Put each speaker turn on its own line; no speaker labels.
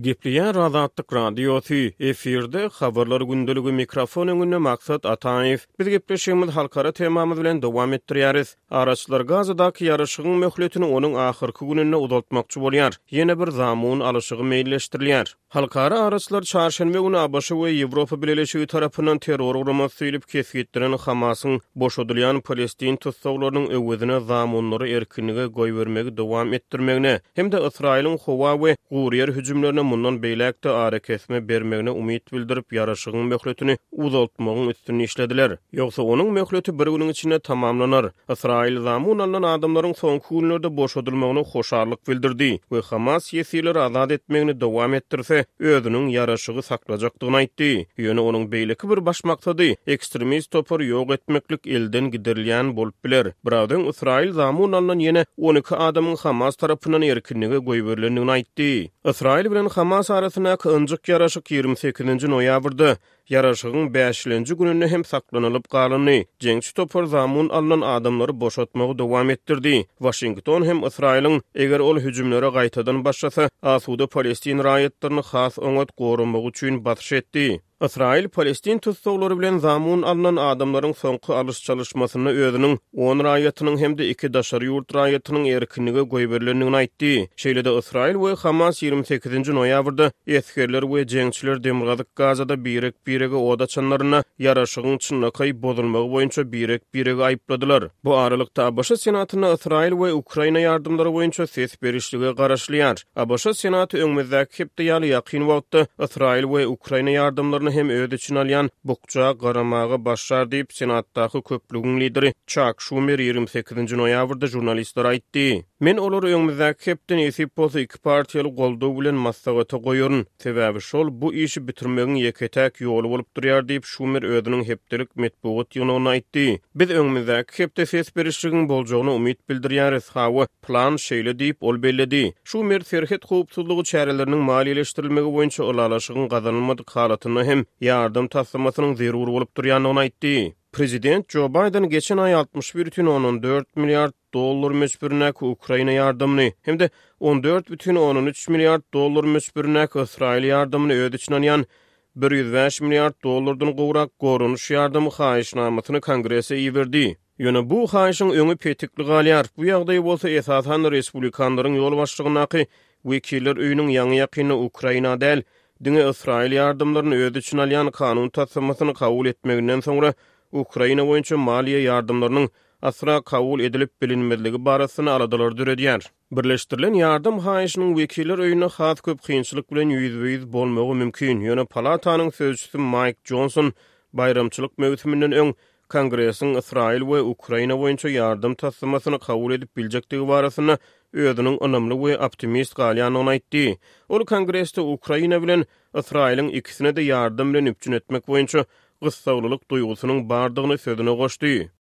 Gepleýär Azatlyk Radiosy, efirde Habarlar gündeligi mikrofon öňünde Maksat Ataýew. Biz gepleşigimizi halkara temamyz bilen dowam etdirýäris. Araçylar Gazadaky ýaraşygyň möhletini onuň ahyrky gününde uzaltmakçy bolýar. Ýene bir zamun alyşygy meýilleşdirilýär. Halkara araçylar çarşenbe güni ABŞ we Ýewropa Bileleşigi tarapyndan terror guramasy diýlip kesgitlenen Hamasyň boşadylýan palestin tussaglarynyň öwezine zamunlary erkinlige goýbermegi dowam etdirmegine hem-de Ysraýylyň howa we guryýer hüjümlerine mundan beýläk-de arakesme bermegine umyt bildirip, ýaraşygyň möhletini uzaltmagyň üstünde işlediler. Ýogsa onuň möhleti bir günüň içinde tamamlanar. Ysraýyl zamun alnan adamlaryň soňky günlerde boşadylmagyna hoşallyk bildirdi we Hamas ýesirleri azat etmegini dowam etdirse, özüniň ýaraşygy saklajakdygyny aýtdy. Ýöne onuň beýleki bir baş maksady, ekstremist topary ýok etmeklik elden giderilýän bolup biler. Biraz öň Ysraýyl zamun alnan ýene 12 adamyň Hamas tarapyndan erkinlige goýberilendigini aýtdy. Ysraýyl bilen Hamas arasyndaky ynjyk ýaraşyk 28-nji noýabrda Ýaraşygyň bäşilenji gününde hem saklanylyp galyndy. Jeňçi topar zamun alnan adamlary boşatmagy dowam etdirdi. Waşington hem Ysraýylyň, eger ol hüjümlere gaýtadan başlasa, asuda palestin raýatlaryny has oňat goramagy üçin basyş etdi. Ysraýyl palestin tussaglary bilen zamun alnan adamlaryň soňky alyş-çalyşmasynda özüniň on raýatynyň hem-de iki daşary ýurt raýatynyň erkinlige goýberilendigini aýtdy. Şeýle-de Ysraýyl we Hamas 28-nji noýabrda esgerler we jeňçiler demirgazyk Gazada birek-birege od açanlarynda ýaraşygyň çynlakaý bozulmagy boýunça birek-biregi aýypladylar. Bu aralykda, ABŞ Senatynda Ysraýyl we Ukraina ýardamlary boýunça ses berişlige garaşylýar. ABŞ Senaty öňümizdäki hepde ýaly ýakyn wagtda Ysraýyl we Ukraina ýardamlaryny hem öz içine alýan bukja garamaga başlar diýip, Senatdaky köplügiň lideri Çak Şumer 28-nji noýabrda žurnalistlere aýtdy. Men olary öňümizdäki hepde nesip bolsa iki partiýaly goldaw bilen maslahata goýaryn. Sebäbi şol bu işi bitirmegiň ýeke-täk ýoly bolup durýar diýip, Şumer özüniň hepdelik metbugat ýygnagynda aýtdy. Biz öňümizdäki hepde ses berişligiň boljagyna umyt bildirýäris. Hawa, plan şeýle diýip, ol belledi. Şumer serhet howpsuzlygy çäreleriniň maliýeleşdirilmegi boýunça ylalaşygyň gazanylmadyk halatynda hem ýardam taslamasynyň zerur bolup durýandygyny aýtdy. Prezident Jo Baýden geçen aý 61,4 milliard dollar möçberindäki Ukraina ýardamyny hem-de 14,3 milliard dollar möçberindäki Ysraýyl ýardamyny öz içine alýan 105 milliard dollardan gowrak goranyş ýardamy haýyşnamasyny Kongrese iberdi. Ýöne bu haýyşyň öňi petikli galýar, bu ýagdaý bolsa esasan respublikanlaryň ýolbaşçylygyndaky Wekiller öýüniň ýaňy-ýakynda Ukraina däl, diňe Ysraýyl ýardamlaryny öz içine alýan kanun taslamasyny kabul etmeginden soňra Ukraina boýunça maliýe ýardamlarynyň asla kabul edilip bilinmezligi barasynda aladalary döredýär. Birleşdirilen ýardam haýyşynyň Wekiller öýünde has köp kynçylyk bilen ýüzbe-ýüz bolmagy mümkin, ýöne palatanyň sözçüsi Maýk Jonson baýramçylyk möwsüminden öň Kongresiň Ysraýyl we Ukraina boýunça ýardam taslamasyny kabul edip biljekdigi barasynda özüniň ynamly we optimist galýandygyny aýtdy. Ol Kongresde Ukraina bilen Ysraýylyň ikisine-de ýardam bilen üpjün etmek boýunça gyssaglylyk duýgusynyň bardygyny sözüne goşdy.